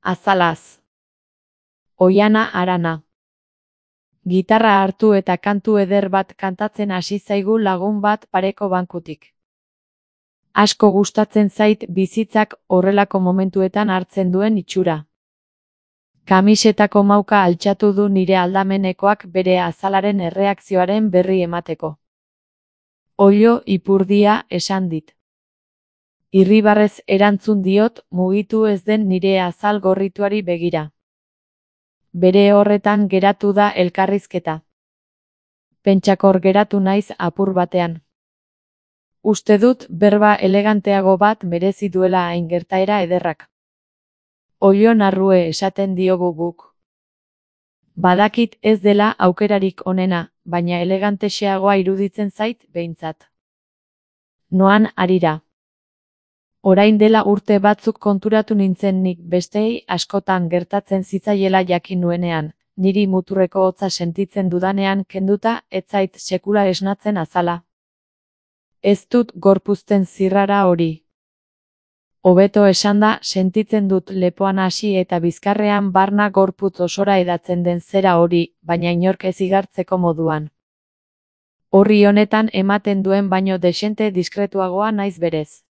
Azalaz. Oiana Arana. Gitarra hartu eta kantu eder bat kantatzen hasi zaigu lagun bat pareko bankutik. Asko gustatzen zait bizitzak horrelako momentuetan hartzen duen itxura. Kamisetako mauka altxatu du nire aldamenekoak bere azalaren erreakzioaren berri emateko. Oilo ipurdia esan dit. Irribarrez erantzun diot mugitu ez den nire azal gorrituari begira. Bere horretan geratu da elkarrizketa. Pentsakor geratu naiz apur batean. Uste dut berba eleganteago bat merezi duela hain gertaera ederrak. Oilo narrue esaten diogu guk. Badakit ez dela aukerarik onena, baina elegantexeagoa iruditzen zait behintzat. Noan harira. Orain dela urte batzuk konturatu nintzen nik bestei askotan gertatzen zitzaiela jakin nuenean, niri muturreko hotza sentitzen dudanean kenduta ez zait sekula esnatzen azala. Ez dut gorpuzten zirrara hori. Hobeto esanda sentitzen dut lepoan hasi eta bizkarrean barna gorputz osora edatzen den zera hori, baina inork ez igartzeko moduan. Horri honetan ematen duen baino dexente diskretuagoa naiz berez.